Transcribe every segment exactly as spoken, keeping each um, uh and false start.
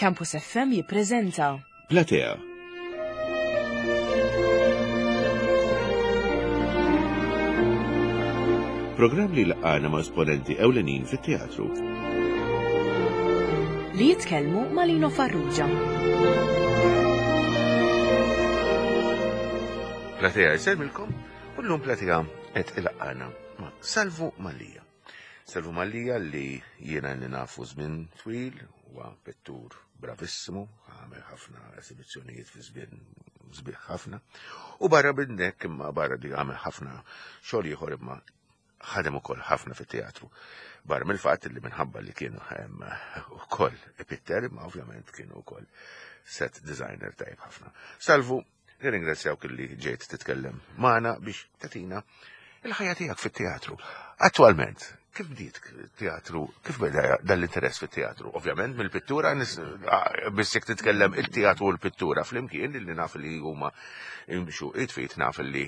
Campus F M jippreżenta Platea. Programm li laqana ma' esponenti ewlenin fit-teatru. Li jitkellmu ma' Lino Farrugia. Platea jsellmilkom u llum Platea qed ilaqqana ma' Salvu Mallia. Salvu Mallia li jiena li nafu żmien twil, huwa pittur bravissimu, għamel ħafna esibizzjonijiet fi żmien sbieħ ħafna. U barra minn hekk, imma barra di għamel ħafna xogħol ieħor, imma ħadem ukoll ħafna fit-teatru. Barra mill-fatt li minħabba li kienu hemm ukoll ipitter, imma ovvjament kienu ukoll set designer tajb ħafna. Salvu, nirringrazzjawk li ġejt titkellem magħna biex tagħtina il-ħajja tiegħek fit-teatru. Attualment, kif bdiet teatru, kif beda dal-interess fit-teatru? Ovvjament mill-pittura, biss jekk titkellem il-teatru u l-pittura flimkien, li naf li huma imxu id f'id, naf li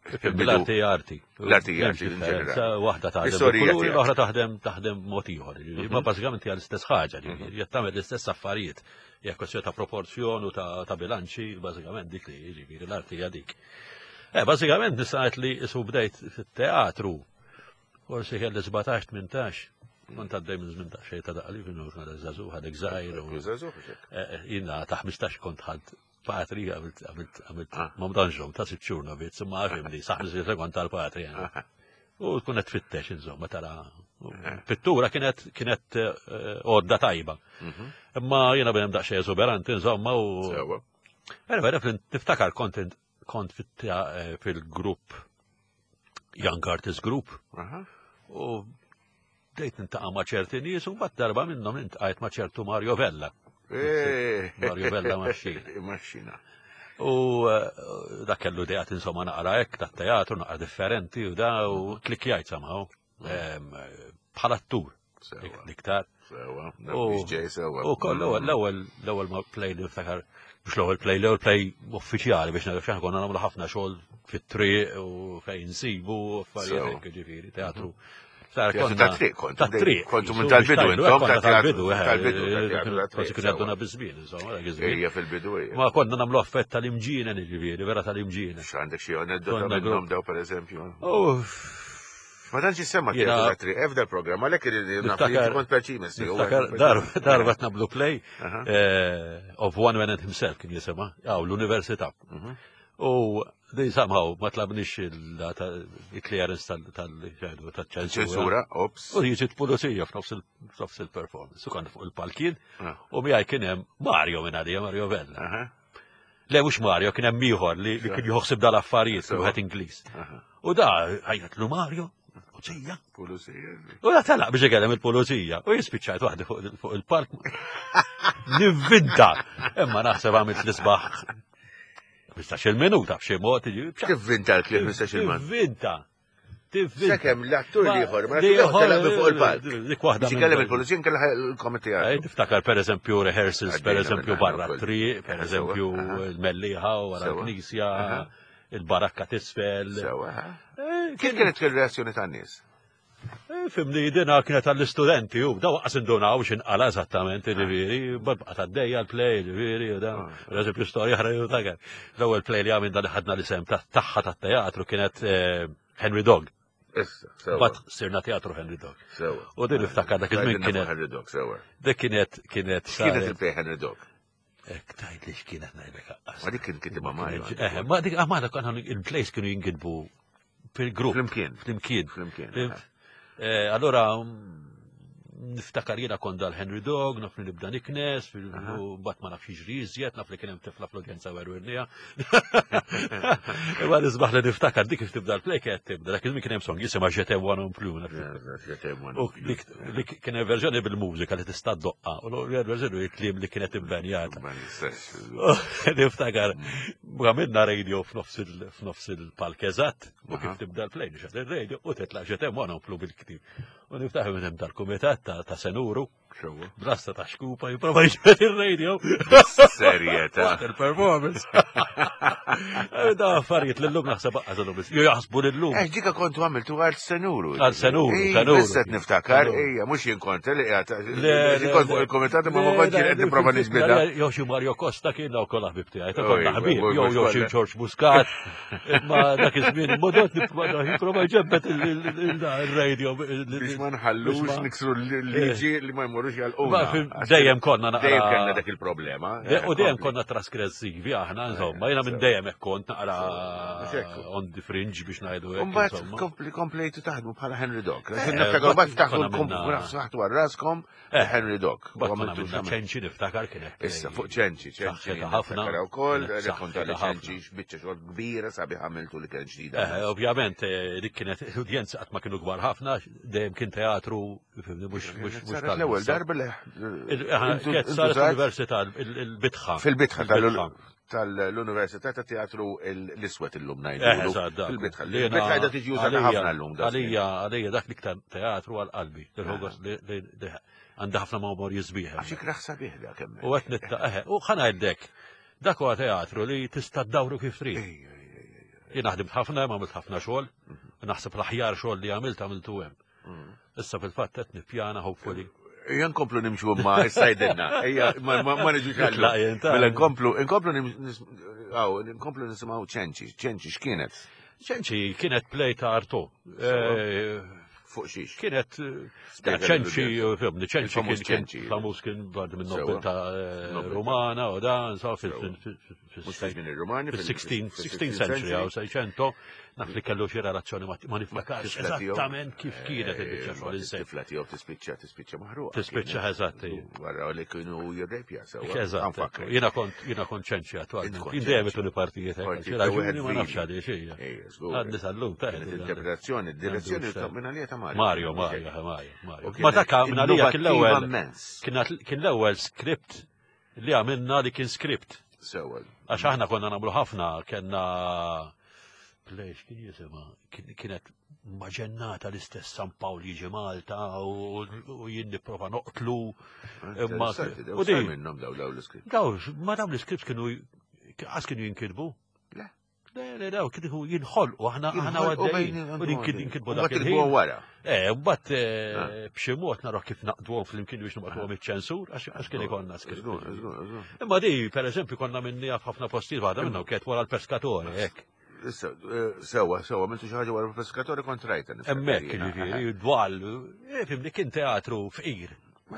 L-arti arti. L-arti arti in ġenerali. Waħda taħdem Istorija bil-kuluri, tiegħek. l-oħra taħdem taħdem mod ieħor. Ma bażikament hija l-istess ħaġa, ġifieri tagħmel l-istess affarijiet. Hija kwestjoni ta' proporzjon u ta' ta' bilanċi, bażikament dik li jiġifieri l-arti hija dik. Eh, bażikament nista' ngħid li isu bdejt fit-teatru. Forsi kelli sbatax, tmintax. Kont għaddej minn żmien ta' xejn ta' daqli, kienu kien żagħżugħ, għadek żgħir. u- Eh, Jiena ta' ħmistax kont ħadt patri, għamilt, għamilt, għamilt, Ah. ma mdanġom, ta' sitt xhur novizz, imma għafim sa' ħmistax kont tal-patri. jena. U tkun qed tfittex, insomma, tara. Pittura kienet kienet eh, għodda tajba. Imma jiena bnem daqsxejn eżuberanti, insomma, u. Sewa. Vera, vera, niftakar kont kont fit- eh, fil-grupp Young Artist Group Aha. u bdejt niltaqa' ma' ċerti nies u mbagħad darba minnhom iltqajt ma' ċertu Mario Vella. Eh. Mario Vella Maxxina. Maxxina. U eh, dak kellu ideat, insomma, naqra hekk tat-teatru, naqra differenti u da u klikjajt somehow. Em, Bħala attur Sewa. iktar. Sewa. U- Naf ġej sewa. U koll l-ewwel l-ewwel l-ewwel ma play li niftakar, mhux l-ewwel play, l-ewwel play uffiċjali biex nagħraf, x'aħna konna nagħmlu ħafna xogħol fit-triq u fejn nsibu affarijiet Sewa. hekk, ġifieri teatru. Sar Teatru konna- ta' triq kontu, Ta' triq. kontu minn Jisu, tal-bidu biex ngħidu, intom, hekk, konna ta' teatru- tal-bidu, eh, tal-bidu, ta' teatru ta' triq, Forsi kienu sewa. jgħadduna biż-żmien, insomma, dak iż-żmien. Ejja, fil-bidu ejja. Ma konna nagħmlu affett tal-imġienen, ġifieri, vera tal-imġienen. X'għandek xi aneddota Konna minnhom grupp. daw, per eżempju? Uff, Ma tantx jissemma Jiena- teatru ta' triq f'dal programm, għalhekk irid naf li Niftakar- kont perċimes. Niftakar darba darba nagħmlu play Aha. eh, Of One Man and Himself kien jisimha, għaw l-università. Mhm. U di somehow ma tlabniex il-clearance tal-ċensura. Ċensura, ops. U jiġi pulizija f'nofs il- f'nofs il-performance. U konna fuq il-palkin Ah. u miegħi kien hemm Mario minn għalija, Mario Vella. Aha. Le, mhux Mario, kien hemm ieħor li li kien joħsib dal-affarijiet, Sewa. wieħed Ingliż. Aha. U da għajjatlu Mario, pulizija. Pulizija. U da telaq biex ikellem il-pulizija. U jispiċċajt waħdi fuq fuq il-park. Nivvinta. Imma naħseb għamilt l-isbaħ ħmistax-il minuta b'xi mod. Kif vinta l-klif mistax il-man? Tivvinta. Tivvinta. Sakemm l-attur Ma- l-ieħor, ma l-ieħor, l-attur telaq minn fuq il-palk. Dik waħda. Biex minn- ikellem il-pulizija nkella l-komiti. Eh, Tiftakar per eżempju rehearsals, per Għaddejna eżempju minn barra ukoll. triq, per Sewa, eżempju aha. il-Mellieħa wara Sewa. l-Knisja, Aha. il-barakka t'isfel. Sewa, ha? Eh, Kif kienet il-reazzjoni tan-nies? Eh, Fimni, dina kienet għall-istudenti, u daw qas indunaw x'inqala eżattament, ġifieri, babqa tad-dejja l-play, ġifieri, u da. Ah. Per eżempju, storja ħra ta' l-ewwel play li għamilna li ħadna l-isem ta' tagħha tat-teatru kienet eh, Henry Dog. Issa, sewa. Bat sirna teatru Henry Dog. Sewa. U din niftakar dak iż-żmien Għidilna fuq kienet Henry Dog, sewa. dik kienet kienet X'kienet saret- il-play Henry Dog? Ek tajt li x'kienet ngħidlek aqqas. Ma dik kien kitibha Mario. Eh, ma dik ah, ma dak konna il-plays kienu jinkitbu fil-grupp. Flimkien. Flimkien. Flimkien. Fimt? Eh, Allora, mm, niftakar jiena kont dal-Henry Dog, naf li nibda niknes, Aha. u mbagħad ma nafx jiġri iżjed, naf li kien hemm tifla fl-udjenza werwirnija. Imma nisbaħ li niftakar dik kif tibda l-play kienet tibda, dak iż-żmien kien hemm song jisimha Je t'aime moi non plus. naf. U dik dik kien hemm verżjoni bil-mużika li tista' ddoqqa, u l-verżjoni il-kliem li kienet imbenjata. Ma nistax. Niftakar, għamilna radio f'nofs il- f'nofs il-palk eżatt, u Aha. kif tibda l-play, nixgħel il-radio, u titla' Je t'aime moi non plus bil-ktib. U niftakar minn hemm tal-kumitat ta' ta' Senuru, Sewwa. Brasta ta' xkupa jipprova jiġbed ir-radio. Serjetà. What a performance. Eh, Da affarijiet l-lum naħseb għażlu biss. Jo jaħsbu l-lum. Eh, ġika kontu għamiltu għal senuru. Għal senuru, Ej, senuru. Issa qed niftakar, Senuru. ejja, mhux jien kont li qiegħed. Le, Jien kont fuq il-komitat imma ma kontx qed nipprova niġbidha. Jew xi Mario Costa kien daw kollha ħbib tiegħi, ta' Oh, konna iva, ħbib, mhux jew jew xi kollha. George Muscat. Imma dak iż-żmien modot nipprova jipprova jġebbet il-radio. Biex ma nħallux niksru l-liġi li ma jmorrux Ma jgħalquna. fim- Dejjem konna naqra. Dejjem kellna dak il-problema. De- U dejjem konna trasgressivi aħna, insomma, jiena minn dejjem hekk kont naqra Mhux hekk. on the fringe biex ngħidu hekk. Umbat insomma. kompli komplejtu taħdmu bħala Henry Dog. Eh, Niftakar bat bat taħdu konna minna- saħtu għal raskom Eh, Henry Dog. Bat U konna għamiltu minna x'għamil- ċenċi niftakar kienet. Issa fuq ċenċi, ċenċi. Saħħitha ħafna. Niftakar ukoll, Kienet rrakkonta li saħħitha ħafna. ċenċi x'biċċa xogħol kbira sabiħ għamiltu li kien ġdida. Eh, ovvjament, eh, dik kienet udjenza qatt ma kienu kbar ħafna, dejjem kien teatru, fimni, mhux mhux mhux Saret l-ewwel darba li Il- eh, intu- Kienet intu saret żgħar l-università, il- il-bitħa. Fil-bitħa Il-bitħa. tal-Università ta' Teatru l-Iswed illum Eh, ngħidulu. eżatt, dak. Fil-bitħa. Li jiena- Il-bitħa qiegħda tiġi użata għalija- ħafna llum. da żmien. Għalija, għalija dak l-iktar teatru għal qalbi. Il-ħogos li li- li għandha ħafna memorji sbieħ. Għax ikraħ sabiħ dak hemmhekk. U qed nitta eħe, u ħa ngħidlek, dak huwa teatru li tista' ddawru kif trid. Ej, ej, ej, ej. Jien naħdem ħafna, għamilt ħafna xogħol, naħseb l-aħjar xogħol li għamilt għamiltu hemm. Mm. Issa fil-fatt qed nippjana hopefully. Ejja nkomplu nimxu ma issa Ejja, ma ma- ma niġux għallu. Nitlaq jien, ta' Mela nkomplu, nkomplu nim- nis- aw, nkomplu nisimgħu ċenċi, ċenċi x'kienet? ċenċi kienet play ta' Arto. Eh, Fuq xiex. Kienet eh, Spjega ċenċi, lill-udjenza. fimni, ċenċi Il-famuż kien kien ċenċi. famuż kien bad minn Sewa. nobiltà eh, Nobiltà. Rumana u dan, sa fil Sewa. fil- Mhux fi fil żmien ir-Rumani, fil- fil-sixteenth fil- sixteenth century għaw seicento, naf li kellu xi relazzjoni ma ma niftakarx Tifla tiegħu. eżattament kif kienet il-biċċa xogħol Eh, insejt. Tifla tiegħu tispiċċa tispiċċa maħruqa. Tispiċċa, kienet. eżatt, ija. Wara li kienu jirrepja sewa. Eżatt, Anfakkar. jiena kont jiena kont ċenċi attwalment. Int kont Jien dejjem ċenċi. ituni partijiet hekk, Partijiet xi ta' wieħed raġuni ma nafx vili. għaliex hija. Ejja, żgur. Għadni sal-lum ta' Kienet interpretazzjoni, direzzjoni ta' minn għalija ta' Mario. Mario, Mario, Mario, Mario. U Ma kienet dak minn għalija kien l-ewwel innovattiva immens. kien kien l-ewwel script li għamilna li kien script. Sewa. Għax aħna konna nagħmlu ħafna, kellna play kien jisimha, kien- kienet maġennata l-istess San Pawl jiġi Malta u u jien nipprova noqtlu. Imma- Interessanti, daw u di- sar minnhom daw daw l-iskript. Daw, ma dawn l-scripts kienu għas kienu jinkitbu. Le. Le, le, daw, kienu jinħolqu, aħna aħna Jinħolqu għaddejjin. bejn- U jinkid- jinkitbu dak Mbagħad il-ħin. kitbuha wara. Eh, mbagħad Ah. eh, b'xi mod naraw kif naqduhom flimkien biex nibgħatuhom iċ-ċensur, għax għax kien ikollna script. Żgur, żgur, żgur. Imma di, per eżempju, konna minnija f'ħafna postijiet waħda minnhom kienet wara l-peskatore, hekk. Issa, eh, sewa, sewa, għamiltu xi ħaġa wara l-peskatore kont rajta. niftakar Hemmhekk jiena. jiġifieri, dwal, eh, fimni kien teatru fqir.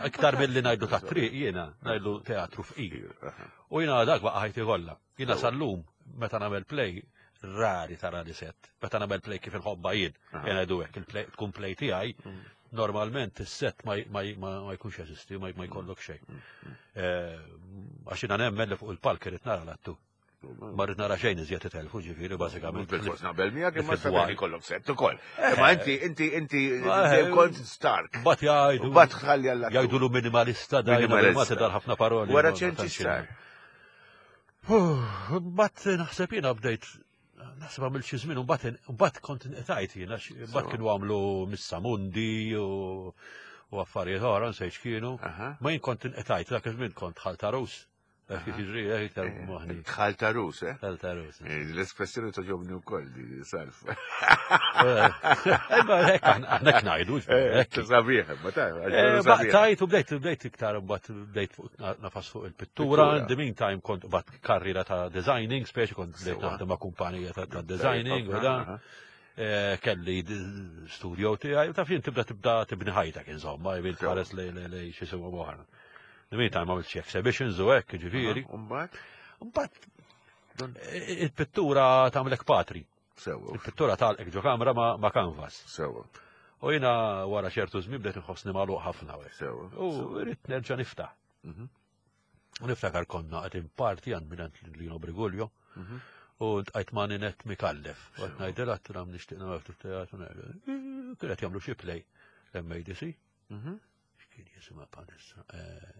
Iktar milli ngħidu ta' triq jiena, ngħidu teatru fqir. Aha. U jiena dak baqa' ħajti kollha. Jiena sal-lum meta nagħmel play rari tara li set. Meta nagħmel play kif inħobba jien, Aha. jien ngħidu hekk il-play tkun play tiegħi, normalment is-set ma ma ma ma jkunx jeżisti, ma ma jkollok xejn. Eh, Għax jiena nemmen li fuq il-palk irid nara l-attu. Ma rrid nara xejn iżjed itelfu ġifieri bażikament. Bil-fors naqbel miegħek imma Fil-dwar. sabiħ ikollok set ukoll. Imma inti inti inti Eh, dejjem kont stark. Bat jgħidu. Bat tħalli għall Jgħidulu minimalista da jiena Minimalista. ma tidar ħafna paroli. Wara ma ċenċi tantx sar. Bat naħseb jiena bdejt naħseb għamil xi żmien u mbagħad mbagħad kont inqtajt jiena mbagħad kienu għamlu Missa Mundi u u affarijiet oħra nsejt x'kienu. Aha. Ma jien kont inqtajt dak iż-żmien kont ħalta Rus. Dak kif jiġri eh, iktar moħni. Dħal ta' Rus, eh? Ħalta Rus. Eh, L-espressjoni toġobni wkoll di salf. Eh, Ma hekk aħna aħna hekk ngħidu. hekk. Sabiħ, ma ta' Eh, Baqtajt u bdejt bdejt iktar mbagħad bdejt fuq- nafas fuq il-pittura, Pittura. in the meantime kont bat karriera ta' designing, speċi kont bdejt Sewa. naħdem ma' kumpanija ta' ta' designing u dan. Eh, Kelli d- studio tiegħi u taf jien tibda tibda tibni ħajtek insomma, jien Sewa. tħares li li li xi sewa oħra. In the meantime għamilt xi exhibitions u hekk, ġifieri. Umbagħad Mbagħad eh, il-pittura tagħmlek patri. sewa, Il-pittura tagħlqek ġo kamra ma' ma' canvas. sewa, U jiena wara ċertu żmien bdejt inħossni magħluq ħafna u hekk. sewa. U rrid nerġa' niftaħ. Mhm. U niftakar konna qed parti għand minn Lino Briguglio Mhm. u ntqajt ma' Ninette Mikallef. U qed ngħidilha għattilha nixtieq nagħmel ftit teatru. Kienet jagħmlu xi play l-M A D C. Mhm. X'kien jisimha palissa? Eh,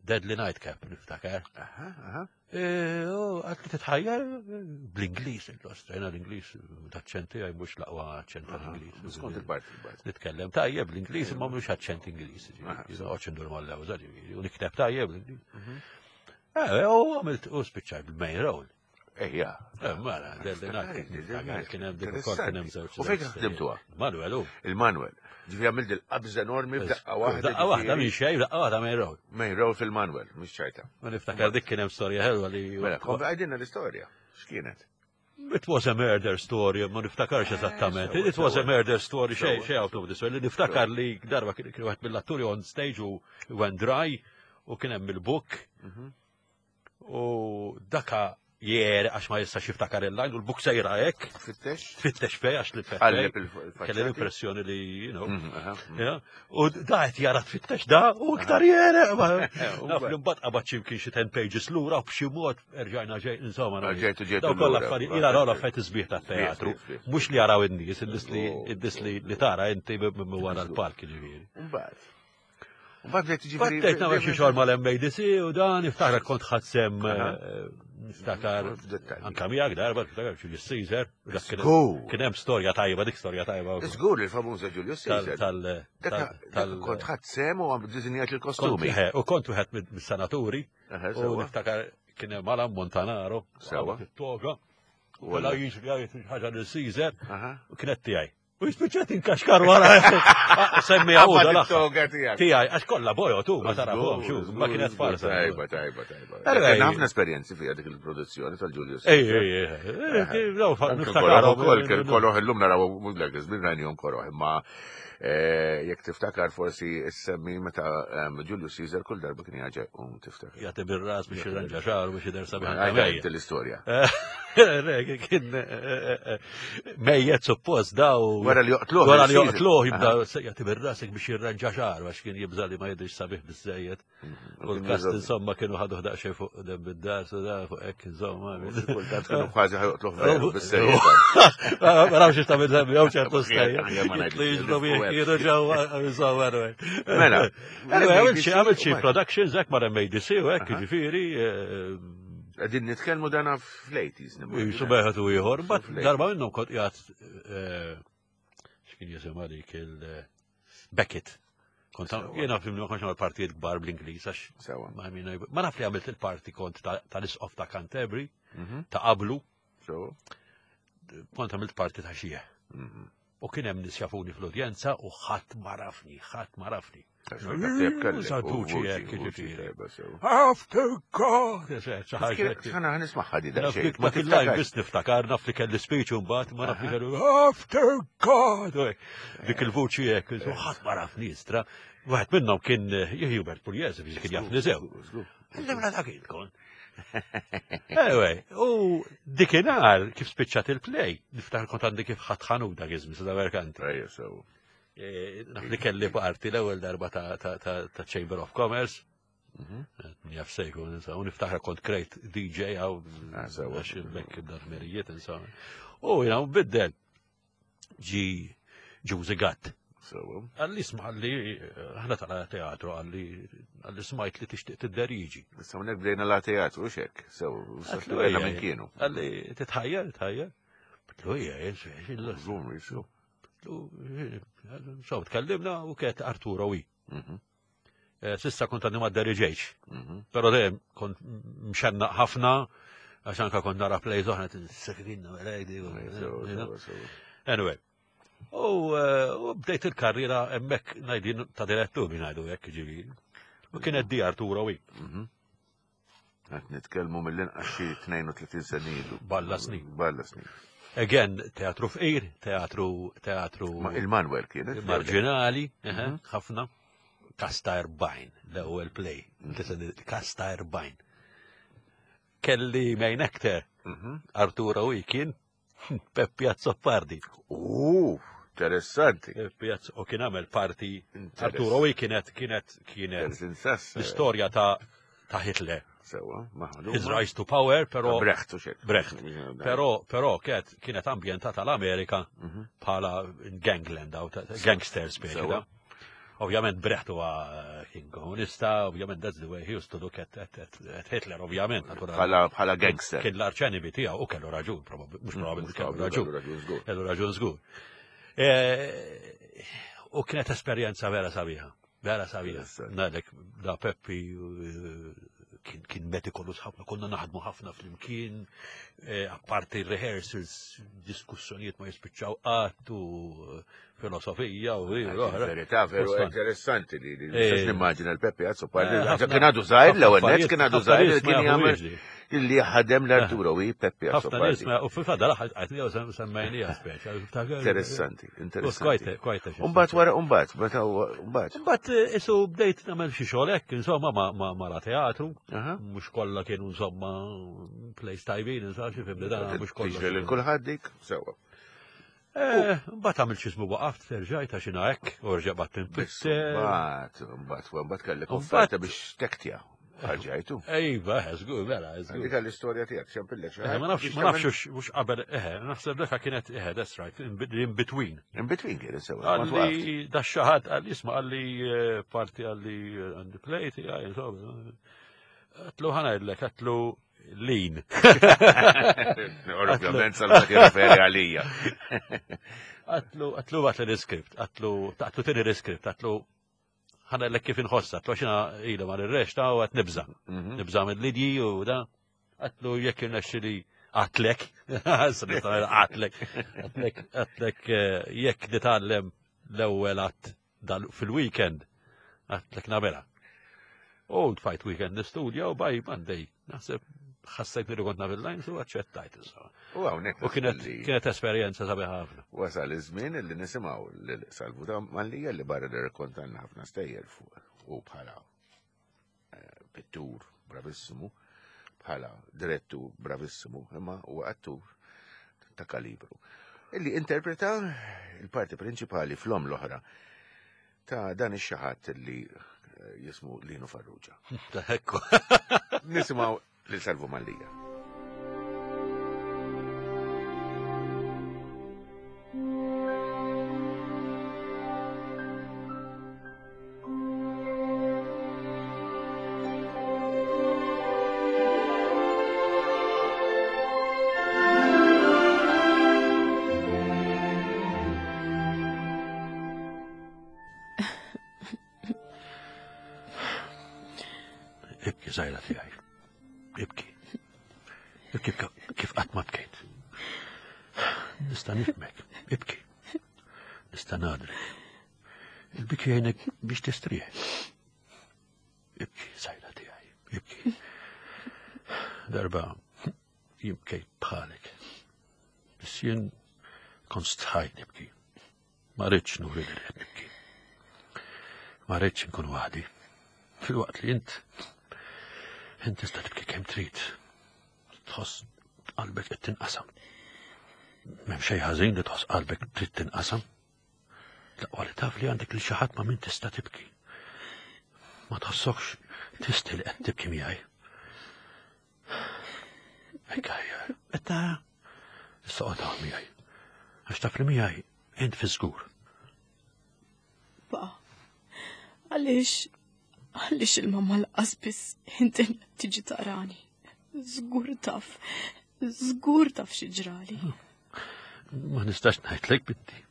Deadly Nightcap, niftakar. Aha, aha. E, u Għedt li titħajjar bl-Ingliż, l-ostrajna l-Ingliż, l-aċċent tiegħi mhux l-aqwa aċċent tal-Ingliż. Skont il-parti, il-parti. Nitkellem tajjeb bl-Ingliż imma mhux aċċent Ingliż. Aha, ġifieri, noqgħodx indur mal-lewża, ġifieri, u nikteb tajjeb bl-Ingliż. Eh, u għamilt u spiċċajt bil-main role. Ejja. Eh, Mara, Deadly Nightcap, niftakar, kien hemm dik ukoll kien hemm żewġ. U fejn ħdimtuha? Manuel, u. Il-Manuel. Ġifieri għamilt il-qabża enormi f'daqqa waħda. Daqqa waħda minn xejn, daqqa waħda main role. Main role fil-Manuel, mhux ċajta. Ma niftakar dik kien hemm storja ħelwa li. Mela, kompli għidilna l-istorja. X'kienet? It was a murder story, ma niftakarx eżattament. sewa, It was a sewa. murder story, xej, Sewa. xej out of this world. Li niftakar li darba kien kien wieħed mill-atturi on stage u went dry u kien hemm il-book u daka jer għax ma jistax jiftakar il-line u l-book sejra hekk, Fittex? tfittex fej għax li Qalleb tfittex. il-faċċati. Kelli l-impressjoni li, you know, Mhm, aha, mhm. Ja, U da qed jara tfittex da u iktar jere. Naf li mbagħad qabad xi kien xi ten pages lura u b'xi mod erġajna ġej insomma. Ah, ġejtu- ġejtu Daw kollha lura. affarijiet, jiena naraw l-affarijiet isbieħ tat-teatru. Sbieħ, sbieħ. Mhux li jaraw in-nies, in-nies li Oh. in-nies li li tara inti minn wara l-palk ġifieri. Mbagħad. Mbagħad bdejt ġifieri. Bdejt nagħmel xi xogħol mal-M A D C u dan niftakar kont ħadsem Aha. niftakar F'dettalji. anka miegħek darba niftakar Julius Caesar. Dak kien- Żgur. Kien hemm storja tajba, dik storja tajba. Żgur il-famuża Julius Tal Caesar. tal Dak tal kont ħadd sem u għam dizinjat il-kostumi. Kont- eh, U kont wieħed mis-senaturi Aha, u sewa. niftakar kien hemm Alan Montanaro, Sewa. qabad it-toga, u Walla. la jiġri jgħid ħaġa lil Caesar Aha. u kienet tiegħi. U jispiċċat inkaxkar wara. Semmi Qabad għawda l-aħħar. it-toga tiegħek. Tiegħi, għax kollha bojot u ma tarahom xu, ma kienet Żgur, farsa. Tajba, tajba, tajba. Anyway. Kien ħafna esperjenzi fiha dik il-produzzjoni tal-Julius. Ej, ej, ej, daw Anke niftakar. koroħ ukoll, kien koroħ illum naraw mhux dak iż-żmien rajnihom koroħ, imma eh, jekk tiftakar forsi issemmi meta em, Julius Caesar kull darba kien jaġa um tiftakar. Jagħti bir-ras biex jirranġa xagħru biex jidher sabiħ anke Għajda mejjet. inti l-istorja. Re, kien eh, eh, mejjet suppost daw. Wara li joqtluh. Wara li il-Caesar. joqtluh jibda jagħti bir-rasek biex jirranġa xagħru għax kien jibża li ma jidhirx sabiħ biżejjed. U l-kast insomma kienu ħadu daqsxejn fuq dem bid-dar, so da fuq hekk insomma. Kultant kienu kważi ħajoqtluh veru bis-serjetà. Ma nafx ta' minn jew ċertu stejjer. Aħjar ma ngħidx. Li jiġru bih kienu ġewwa insomma anyway. Mela, Anyway, għamilt xi għamilt xi M A D C, productions hekk ma' M A D C u hekk jiġifieri eh, Qegħdin nitkellmu dana fl-eighties. Jisu beħet u ieħor, bat Fl-eighties. darba minnhom kont qiegħed eh, x'kien jisimha dik il Beckett. Kont Sewa. jiena fimni ma kontx nagħmel partijiet kbar bl-Ingliż għax Sewa. ma min- ma naf li għamilt il-parti kont ta- tal-isqof ta' Canterbury, Mhm. ta' qablu, Sewa. kont għamilt parti ta' xieħ. Mhm. U kien hemm nies jafuni fl-udjenza u ħadd ma rafni, ħadd ma rafni. Saltuċi Saltuċi hekk, jiġifieri. Ġifieri. After God! Ħana nismaħħa di Naf daqsxejn. dik Ma dak il-line tiftakarx. biss niftakar, naf li kelli speech u mbagħad ma naf li kellu After God! U hekk. Dik il-vuċi hekk, u ħadd ma rafni istra. Wieħed minnhom kien eh, Hubert Pugliese biex kien jafni sew. Żgur. Għalli mela dak il-kon. Anyway, u dikinhar kif spiċċat il-play, niftakar kont għandi kif ħadd ħanut dak iż-żmien sa Merkanti. Ejja, sewa. Eh, Naf li kelli parti l-ewwel darba ta' ta' ta' ta' Chamber of Commerce. Mhm. Min jaf sejku, insomma, u niftakar kont krejt D J għaw, Ah, sewa. għax bekk dar-merijiet, insomma. U jina, u biddel ġi Ġużi Gatt. Sewa. Għalli sma għalli, ħna tala teatru, għalli, għalli smajt li tixtieq tidderiġi. Issa hawnhekk bdejna la teatru xek. Sewa, Għatlu, bdejna ejja, minn kienu. Għalli, titħajjar, titħajjar. Għedtlu, ejja, ejja, Żum, jisu. So, tkellimna u kiet Arturo Ui. Mhm. Eh, Sissa kont għadni ma deriġejx. Mhm. Pero dejjem kont mxennaq ħafna, għax anka kont nara plays oħra, t-sekrinna, Sewa, sewa, sewa. Anyway. U eh, u bdejt il-karriera hemmhekk ngħidin ta' direttur biex ngħidu hekk ġifieri. U kienet di Arturo Ui. Mhm. Qed nitkellmu mill-inqas xi tnejn u tletin sena ilu. Balla snin. Balla snin. Again, teatru fqir, teatru, teatru Ma il-Manuel kienet. marġinali, eħe, Mhm. ħafna. Kasta erbgħin, l-ewwel play. Kasta erbgħin. Kelli main actor, Mhm. Arturo Ui kien Peppi Azzopardi. Uh, interessanti. Peppi Azz- u kien għamel parti Interess- Arturo Ui kienet kienet kienet Interessanti. l-istorja ta' ta' Hitler. Sewa, maħduma. His rise to power, pero Brecht u xek. Brecht. Pero pero kienet kienet ambjentata l-Amerika Mhm. bħala gangland, aw ta- gangster speċi. Sewa. da. Ovvjament Brecht huwa kien komunista, ovvjament that's the way he used to look at, at, at, at Hitler, ovvjament, naturalment. Bħala gangster. Kien l-arċenimi tiegħu u kellu raġun, mhux probabbli kellu raġun. Kellu raġun żgur. U kienet esperjenza vera sabiħa, vera sabiħa. Ngħidlek da Peppi kien metikolus ħafna, konna naħdmu ħafna flimkien, apparti rehearsals, diskussjonijiet ma jispiċċaw qatt u filosofija u oħra. Verità, veru interessanti li nistax nimmaġina l-Peppi Azzopardi. Kien għadu żgħir l-ewwel nett, kien għadu żgħir li kien jagħmel illi ħadem l-Arturo u Peppi Azzopardi. U fil-fatt dal-aħħar qed semmejnija speċa. Interessanti, interessanti. Umbagħad wara umbagħad, meta umbagħad. Imbagħad isu bdejt nagħmel xi xogħol hekk, insomma ma la teatru, mhux kollha kienu insomma place tajbin, insomma xi fimni dan mhux kollha. Tiġri lil kulħadd dik, sewwa. Mbagħad għamilt xi ismu waqaft, terġajt għax jiena hekk, u rġa' batt inpitter. Mbagħad, mbagħad, mbagħad kellek offerta biex tektja. Ħarġajtu. Ejba, żgur, mela, żgur. Dik l-istorja tiegħek, xempillek xi ħaġa. Ma nafx, ma nafx mhux qabel, eħe, naħseb dak kienet eħe, that's right, in between. In between kienet sewa. Għalli da xi ħadd qalli isma' qalli parti qalli għandi play tiegħi, insomma. Għatlu ħa ngħidlek, għatlu lin. Ovvjament salva tirreferi għalija. Għatlu, għatlu għatlu l-iskript, għatlu, għatlu tini l-iskript, għatlu ħana l kif inħossa, għatlu xina ila ma l-reċta u għat nibza. Nibza mill-lidji u da. Għatlu jekk irnexxi li għatlek, għatlek, għatlek, għatlek jekk nitgħallem l-ewwel għat fil-weekend, għatlek nagħmilha. U tfajt weekend nistudja u by Monday, naħseb ħassejt li kont naf il-lines u aċċettajt insomma. U hawnhekk. U kienet kienet esperjenza sabiħa ħafna. Wasal iż-żmien li nisimgħu lil Salvu ta' Mallia li barra li rrakkontanna ħafna stejjer fuq u bħala pittur bravissimu, bħala direttur bravissimu, imma huwa attur ta' kalibru. Illi interpreta il-parti prinċipali fl-om l-oħra ta' dan ix-xaħat li jismu Lino Farrugia. Ekku. Nisimgħu lil Salvu Mallia. Ibki żgħira tiegħi. Ibki. Ibki kif qatt ma bkejt. Nista' nifhmek. Ibki. Nista' ngħadrek. Il-biki jgħinek biex tistrieħ. Ibki żgħira tiegħi. Ibki. Darba jien bkejt bħalek. Biss jien kont stħajt nibki. Ma rridx nuri li qed nibki. Ma rridx inkun waħdi. Fil-waqt li int int tista' tibki kemm trid. Tħoss qalbek qed tinqasam. M'hemm xejn ħażin li tħoss qalbek trid tinqasam. L-aqwa li taf li għandek lil xi ħadd ma' min tista' tibki. Ma tħossokx tisti li qed tibki miegħi. Hekk ħajja, qed tara? Issa qgħod hawn miegħi. Għax taf li miegħi int fi żgur. Pa, għaliex għaliex il-mamma lanqas biss inti tiġi tarani. Żgur taf, żgur taf xi ġrali. Ma nistax ngħidlek binti.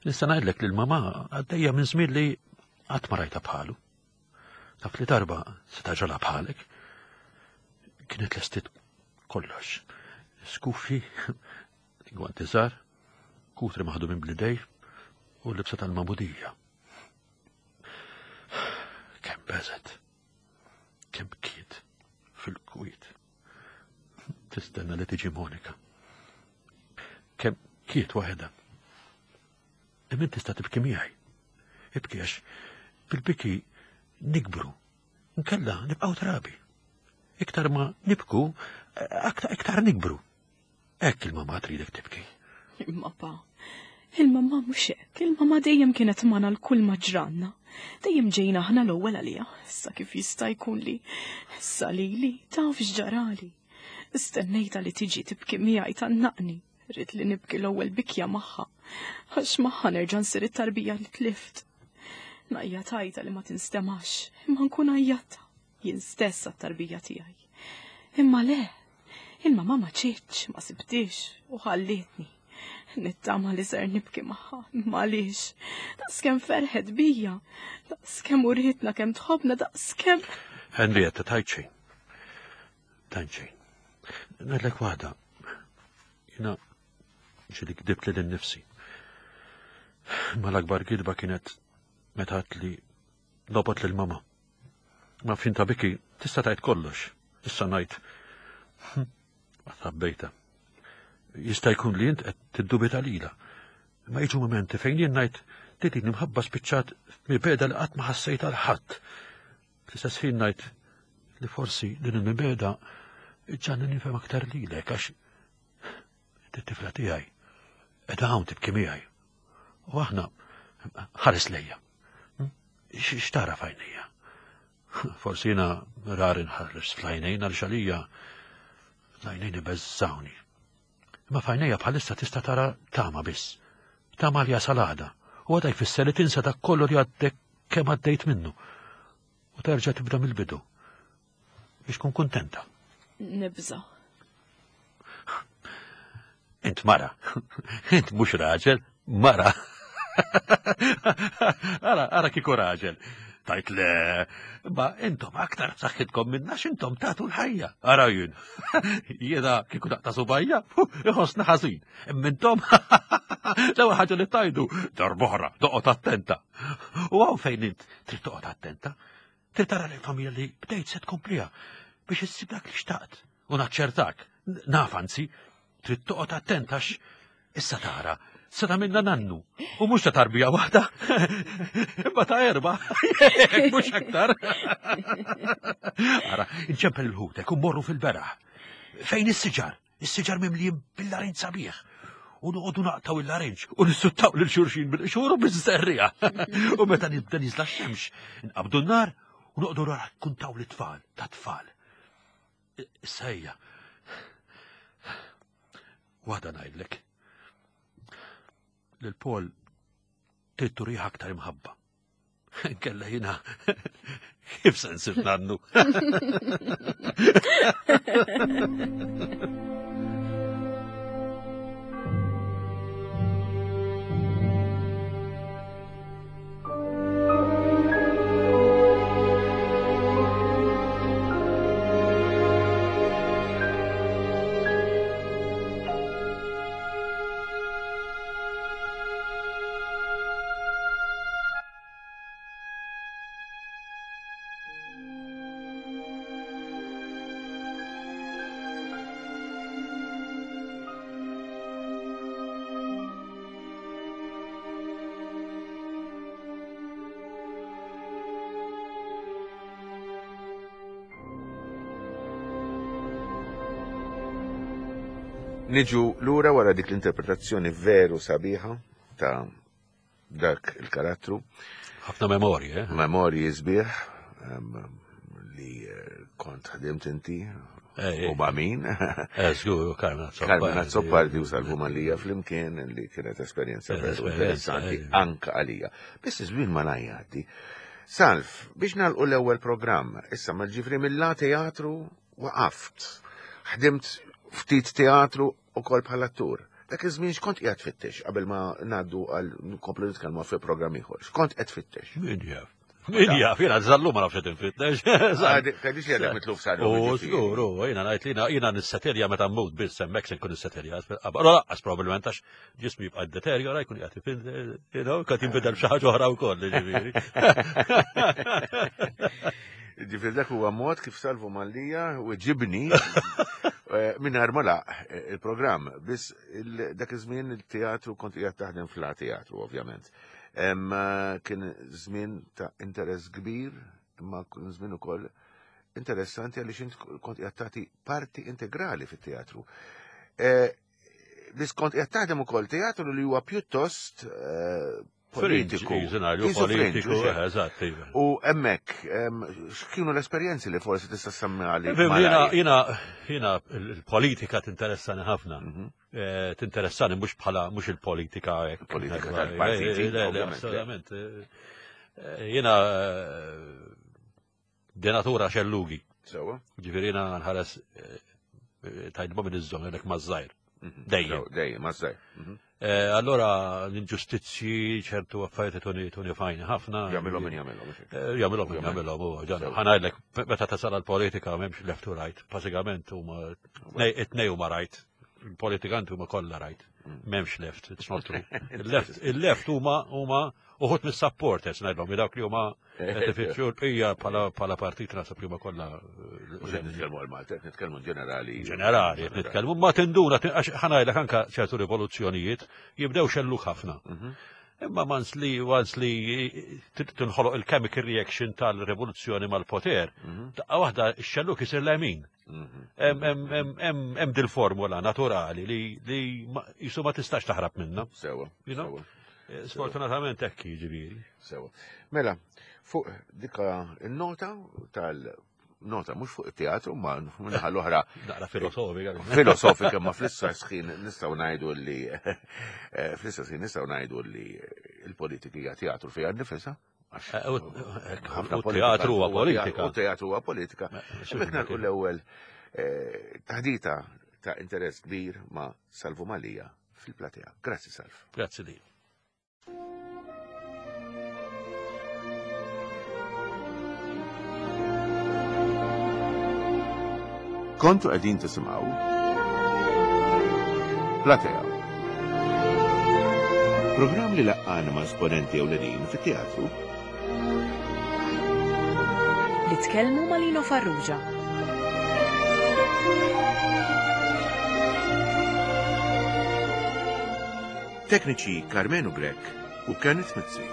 Nista' ngħidlek li l-mamma għaddejja minn żmien li qatt ma rajta bħalu. Taf li darba se taġralha bħalek. Kienet lestit kollox. Skufi, gwanti żgħar, kutri maħdumin bl-idej u l-libsa tal-magħmudija. Kemm beżet, kemm bkiet fil-kwiet. Tistenna li tiġi Monika. Kemm kiet waħedha. Imma tista' tibki miegħi. Ibki għax bil-biki nikbru. Nkella nibqgħu trabi. Iktar ma nibku, aktar iktar nikbru. Hekk il-mamma tridek tibki. Imma pa, il-mamma mhux hekk, il-mamma dejjem kienet magħna l-kull ma ġranna. Dejjem ġejna aħna l-ewwel għaliha. Issa kif jista' jkun li issa lili taf x'ġarali. Istennejta li tiġi tibki miegħi tannaqni. Rrid li nibki l-ewwel bikja magħha. Għax magħha nerġa' nsir it-tarbija li tlift. Ngħajjat għajta li ma tinstemax, imma nkun għajjatta, jien stess għat-tarbija tiegħi. Imma le, il-mamà ma ġietx, ma sibtix u ħallietni. Nittama li ser nibki magħha, imma għaliex. Daqskemm ferħet bija, daqskemm urietna kemm tħobbna, daqskemm. Henrietta, tajt xejn. Tajt xejn. Ngħidlek waħda. Jiena ġieli kdibt lili nnifsi. Ma l-akbar gidba kienet meta għedt li nobgħod lil mama. Ma fin ta' biki tista' tgħid kollox. Issa ngħid tħabbejta. Jista' jkun li int qed tiddubita lilha. Ma jiġu momenti fejn jien ngħid li din imħabba spiċċat mibegħda li qatt ma ħassejt għal ħadd. Fl-istess ħin ngħid li forsi din il-mibegħda ġġagħalni nifhem aktar lilek għax it-tifla tiegħi qiegħda hawn tibki miegħi. U aħna ħares lejja. X'tara f'għajnejja? Forsi jiena rari nħares fl-għajnejn għal xalija l-għajnejn ibeżżawni. Imma f'għajnejja bħalissa tista' tara tama biss. Tama li jasal għada. U għada jfisser li tinsa dak kollu li għaddek kemm għaddejt minnu. U terġa' tibda mill-bidu. Biex tkun kuntenta. Nibża. Int mara. Int mhux raġel, mara. Ara, ara kieku raġel. Tajt le, ma intom aktar b'saħħitkom minna x'intom tagħtu l-ħajja. Ara jien. Jiena kieku naqta' subgħajja, iħossni ħażin. Imma intom l-ewwel ħaġa li tajdu darb'oħra, toqgħod attenta. U hawn fejn int trid toqgħod attenta. Trid tara l-familja li bdejt se tkompliha biex issib dak li xtaqt. U naċċertak, naf anzi, trid toqgħod attenta għax issa tara se tagħmilna nannu. U mhux ta' tarbija waħda, imma ta' erba', mhux aktar. Ara, inċempel il-ħutek u mmorru fil-beraħ. Fejn is-siġar? Is-siġar mimlijin bil-larinġ sabiħ. U noqogħdu naqtaw il-larinġ u nissuttaw lil xulxin bil-qxur u biż-żerriegħa. U meta nibda niżla x-xemx, nqabdu n-nar u noqogħdu nrakkuntaw lit-tfal, ta' tfal. Issa ejja. Waħda ngħidlek. Lil Paul trid turih aktar imħabba. Kella jiena kif se nsir nannu. Niġu lura wara dik l-interpretazzjoni veru sabiħa ta' dak il-karattru. Ħafna memorji, eh? Memorji sbieħ li kont ħdimt inti u ma' min. Eh, żgur, Carmen Azzopardi. Carmen Azzopardi u Salvu Mallia flimkien li kienet esperjenza veru interessanti anka għalija. Biss iż-żmien ma ngħaddi. Salv, biex nagħlqu l-ewwel programm, issa ma ġifri mill-la teatru waqaft. Ħdimt ftit teatru u kol bħala attur. Dak iż-żmien x'kont qiegħed tfittex qabel ma ngħaddu għal nkomplu nitkellmu fi programm ieħor. X'kont qed tfittex? Min jaf? Min jaf, jiena żallu ma nafx qed infittex. Tgħidix li għadek mitluf saru. U żgur, u jiena ngħid li jiena nissetelja meta mmut biss hemmhekk se nkun nissetelja. Allora laqqas probabbilment għax ġismi jibqa' deteriora jkun qiegħed you know, qed jinbidel f'xi ħaġa oħra wkoll, ġifieri. Ġifieri dak huwa mod kif Salvu Mallia u ġibni mingħajr ma laq il-programm. Biss dak iż-żmien il-teatru kont qiegħed taħdem fla teatru ovvjament. Kien żmien ta' interess kbir, imma kien żmien ukoll interessanti għaliex int kont qiegħed tagħti parti integrali fit-teatru. Biss kont qiegħed taħdem ukoll teatru li huwa pjuttost politiku. Politiku, eżatt. U hemmhekk, x'kienu l-esperjenzi li forsi tista' semmi għalik? Jiena jiena il-politika tinteressani ħafna. Tinteressani mhux bħala mhux il-politika hekk. Politika tal-partiti. Assolutament. Jiena de natura xellugi. Sewa. Ġifieri jiena nħares tajdba minn iż-żon għalhekk maż-żgħir. Dejjem. Dejjem, maż-żgħir. Allora l-inġustizzji ċertu affarijiet tuni tuni fajni ħafna. Jagħmilhom min jagħmilhom. Jagħmilhom min jagħmilhom u ħa ngħidlek meta tasal għall-politika m'hemmx left to right, bażikament huma it-tnej huma right. Il-politikanti huma kollha right. M'hemmx left, it's not true. Il-left il-left huma huma uħud mis-supporters ngħidlhom dawk li huma qed ifittxu l-bqija bħala partit naħseb li huma kollha. Mhux qed nitkellmu għal Malta, qed nitkellmu ġenerali. Ġenerali qed nitkellmu, ma tinduna għax ħa ngħidlek anke ċertu rivoluzzjonijiet jibdew xelluk ħafna. Imma once li once li tinħoloq il-chemical reaction tal-rivoluzzjoni mal-poter, daqqa waħda x-xelluk isir lemin. Hemm dil-formula naturali li li jisu ma tistax taħrab minnha. Sewa. You know? Sfortunatament hekk jiġifieri. Sewa. Mela, fuq dika il-nota tal-nota mhux fuq it-teatru ma minnaħa l-oħra. Naqra filosofika. Filosofika, ma fl-istess ħin nistgħu ngħidu li fl-istess ħin nistgħu ngħidu li l-politika hija teatru fiha nnifisha. U teatru huwa politika. U teatru huwa politika. Hemmhekk nagħlqu l-ewwel taħdita ta' interess kbir ma' Salvu Mallia fil-platea. Grazzi, Salv. Grazzi li. Kontu qegħdin tisimgħu Platea. Programm li laqqana ma' esponenti ewlenin fit-teatru. Li tkellmu ma' Lino Farrugia. Tekniċi Carmenu Grech u Kenneth Mizzi.